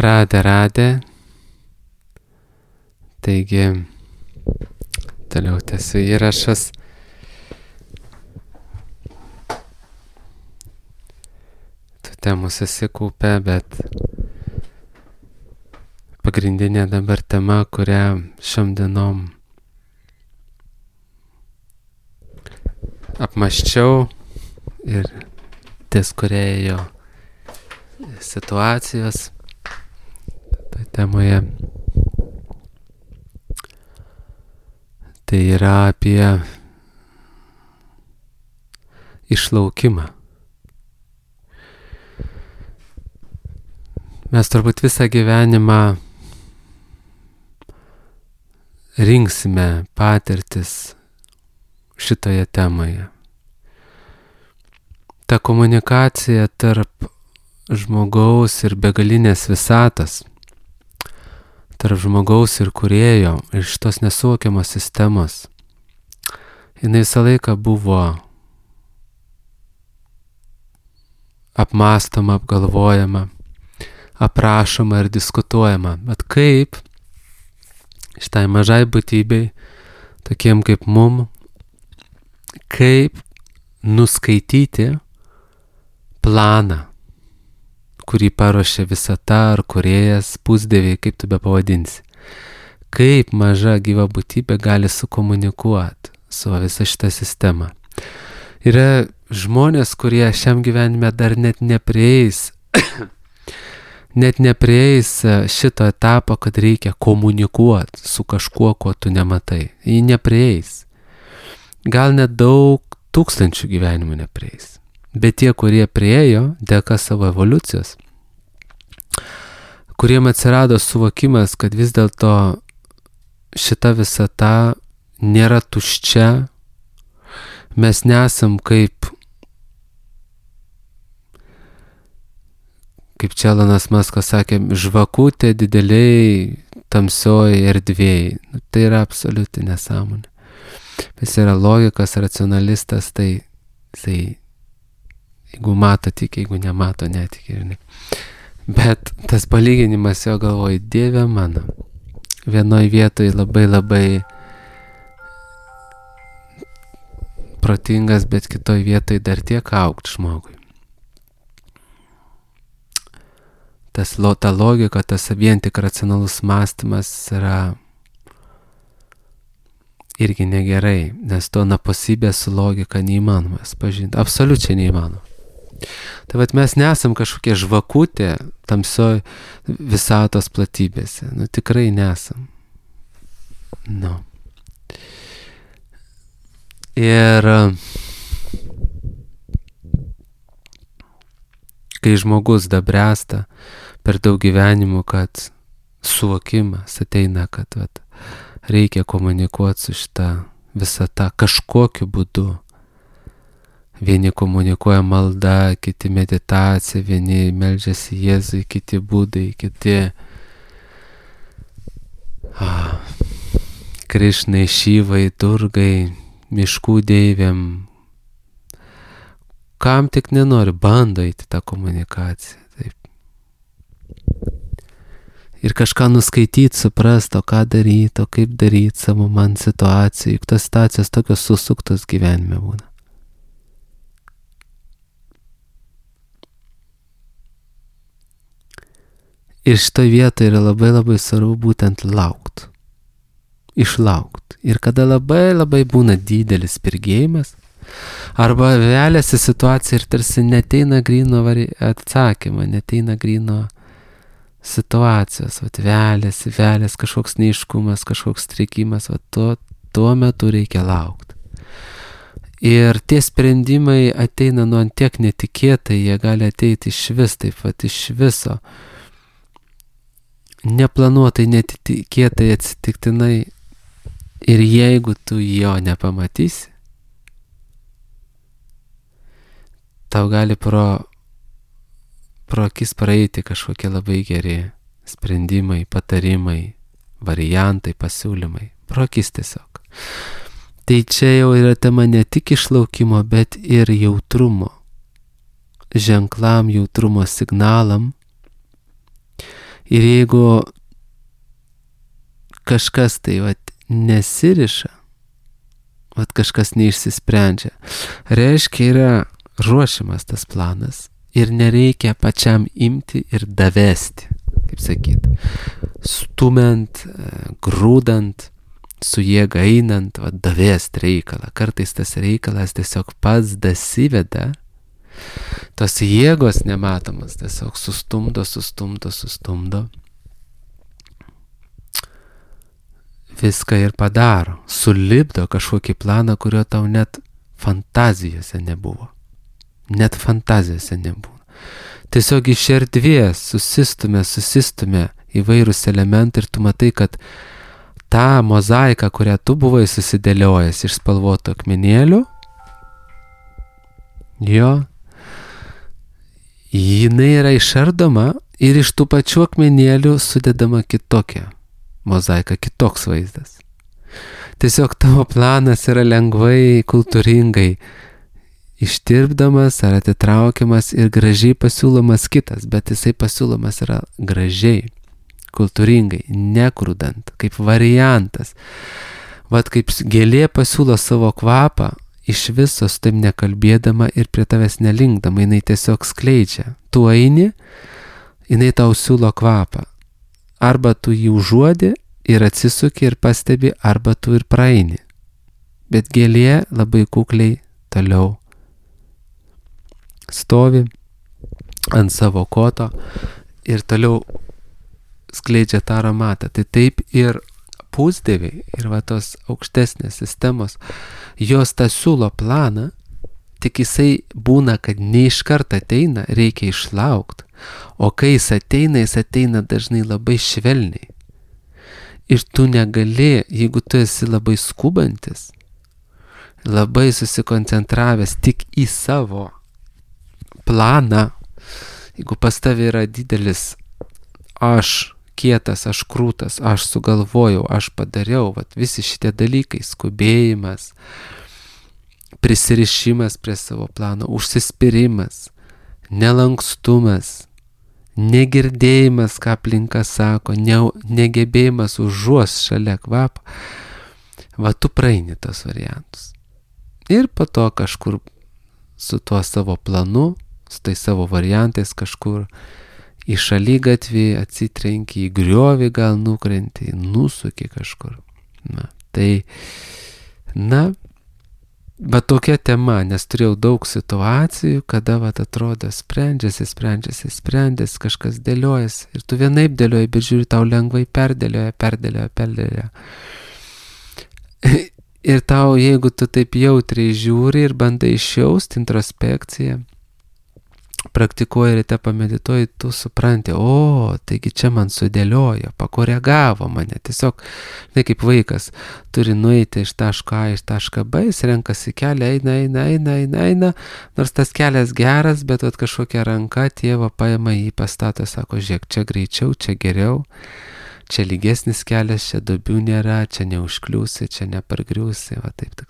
Radė. Taigi, toliau tęsiu įrašas. Tų temų susikaupė, bet pagrindinė dabar tema, kurią šiom dienom apmąsčiau ir ties kuria ėjo situacijos toje temoje, tai yra apie išlaukimą. Mes turbūt visą gyvenimą rinksime patirtis šitoje temoje. Ta komunikacija tarp žmogaus ir begalinės visatos, tarp žmogaus ir kūrėjo, iš tos nesuvokiamos sistemos, jinai visą laiką buvo apmąstoma, apgalvojama, aprašoma ir diskutuojama. Bet kaip šitai mažai būtybei, tokiem kaip mum, kaip nuskaityti planą, kurį paruošė visata ar kūrėjas, pusdieviai, kaip tu be pavadinsi. Kaip maža gyva būtybė gali sukomunikuoti su visa šita sistema. Yra žmonės, kurie šiam gyvenime dar net neprieis šito etapo, kad reikia komunikuoti su kažkuo, ko tu nematai. Jį neprieis. Gal net daug tūkstančių gyvenimų neprieis. Bet tie, kurie priėjo, dėka savo evoliucijos, kuriem atsirado suvokimas, kad vis dėlto šita visata nėra tuščia, mes nesam kaip čia Elonas Muskas sakė, žvakutė dideliai tamsioj erdvėj. Tai yra absoliuti nesąmonė. Jis yra logikas, racionalistas, tai jeigu mato tik, jeigu nemato netiki. Bet tas palyginimas jo galvoja, Dieve mano, vienoj vietoj labai protingas, bet kitoj vietoj dar tiek augt žmogui. Ta logika, tas vien tik racionalus mąstymas yra irgi negerai, nes to naposybė su logika neįmanomas pažinti, absoliučiai neįmanoma. Tai vat mes nesam kažkokie žvakutė tamsioj visatos platybėse, tikrai nesam. Ir kai žmogus dabręsta per daug gyvenimų, kad suvokimas ateina, kad reikia komunikuoti su šita visata kažkokiu būdu. Vieni komunikuoja malda, kiti meditacija, vieni meldžiasi Jėzui, kiti būdai, kiti Krišnai, Šyvai, Durgai, miškų deivėm. Kam tik nenori, bando įti tą komunikaciją. Taip. Ir kažką nuskaityti, suprasti, o ką daryti, o kaip daryti savo man situacijai. Juk tos situacijos tokios susuktos gyvenime būna. Ir šitoj vietoje yra labai svarbu būtent laukt. Išlaukt. Ir kada labai būna didelis spirgėjimas, arba veliasi situacija ir tarsi neteina gryno atsakymą, neteina gryno situacijos, veliasi kažkoks neiškumas, kažkoks strikimas, tuo metu reikia laukti. Ir tie sprendimai ateina nuo tiek netikėtai, jie gali ateiti iš viso. Neplanuotai, netikėtai, atsitiktinai. Ir jeigu tu jo nepamatysi, tau gali pro akis praeiti kažkokie labai geri sprendimai, patarimai, variantai, pasiūlymai. Pro akis tiesiog. Tai čia jau yra tema ne tik išlaukimo, bet ir jautrumo. Ženklam, jautrumo signalam. Ir jeigu kažkas tai nesiriša, kažkas neišsisprendžia, reiškia yra ruošiamas tas planas ir nereikia pačiam imti ir davesti, kaip sakyti, stumiant, grūdant, su jėga einant, davest reikalą. Kartais tas reikalas tiesiog pats dasiveda, tos jėgos nematomas tiesiog sustumdo, viską ir padaro, sulipdo kažkokį planą, kurio tau net fantazijose nebuvo. Tiesiog iš erdvės susistumė įvairūs elementai ir tu matai, kad ta mozaika, kurią tu buvai susidėliojęs iš spalvotų akmenėlių, jinai yra išardoma ir iš tų pačių akmenėlių sudedama kitokia mozaika, kitoks vaizdas. Tiesiog tavo planas yra lengvai, kultūringai ištirpdamas ar atitraukiamas ir gražiai pasiūlomas kitas, bet jisai pasiūlomas yra gražiai, kultūringai, nekrudant, kaip variantas. Kaip gėlė pasiūlo savo kvapą, iš viso su taip nekalbėdama ir prie tavęs nelinkdama, jinai tiesiog skleidžia. Tu eini, jinai tau siūlo kvapą. Arba tu jį užuodi ir atsisuki ir pastebi, arba tu ir praeini. Bet gėlė labai kukliai toliau stovi ant savo koto ir toliau skleidžia tą aromatą. Tai taip ir pusdieviai ir tos aukštesnės sistemos, jos tą siūlo planą, tik jisai būna, kad ne iš karto ateina, reikia išlaukti. O kai jis ateina dažnai labai švelniai. Ir tu negali, jeigu tu esi labai skubantis, labai susikoncentravęs tik į savo planą, jeigu pas tavai yra didelis aš kietas, aš krūtas, aš sugalvojau, aš padariau, visi šitie dalykai, skubėjimas, prisirišimas prie savo plano, užsispyrimas, nelankstumas, negirdėjimas, ką aplinka sako, negebėjimas užuos šalia kvapą, tu praeini tos variantus. Ir po to kažkur su tuo savo planu, su tai savo variantais kažkur į šaligatvį atsitrenki, į griovį gal nukrenti, nusuki kažkur. Bet tokia tema, nes turėjau daug situacijų, kada atrodo sprendžiasi, kažkas dėliojasi ir tu vienaip dėlioji, bet žiūri, tau lengvai perdėlioja. Ir tau, jeigu tu taip jautriai žiūri ir bandai išjausti introspekciją, praktikuoji ryte, pamedituoji, tu supranti, taigi čia man sudėliojo, pakoregavo mane. Tiesiog, kaip vaikas, turi nueiti iš taško A iš tašką B, jis renkasi kelią, eina, nors tas kelias geras, bet kažkokia ranka tėvo paima jį, pastato, sako, žiūrėk, čia greičiau, čia geriau, čia lygesnis kelias, čia duobių nėra, čia neužkliūsi, čia nepargriūsi, taip.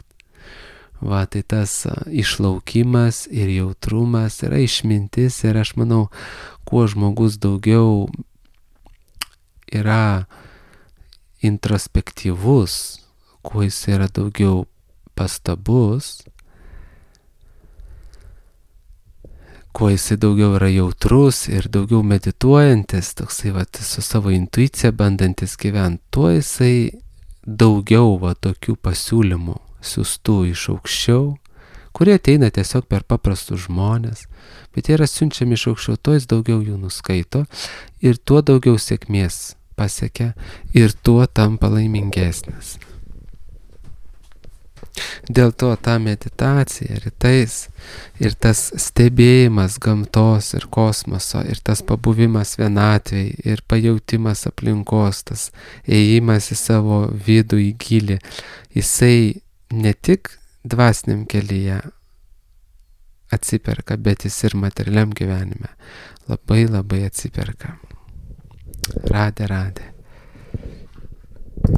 Tai tas išlaukimas ir jautrumas yra išmintis ir aš manau, kuo žmogus daugiau yra introspektyvus, kuo jis yra daugiau pastabus, kuo jisai daugiau yra jautrus ir daugiau medituojantis, toksai su savo intuicija bandantis gyventi, tuo jisai daugiau tokių pasiūlymų siųstų iš aukščiau, kurie ateina tiesiog per paprastus žmonės, bet jie yra siunčiami iš aukščiau, tuo jis daugiau jų nuskaito ir tuo daugiau sėkmės pasiekia ir tuo tampa laimingesnis. Dėl to ta meditacija rytais ir tas stebėjimas gamtos ir kosmoso ir tas pabuvimas vienatvėj ir pajautimas aplinkos, tas ėjimas į savo vidų, į gilį, jisai ne tik dvasiniam kelyje atsiperka, bet jis ir materialiam gyvenime labai atsiperka. Radė.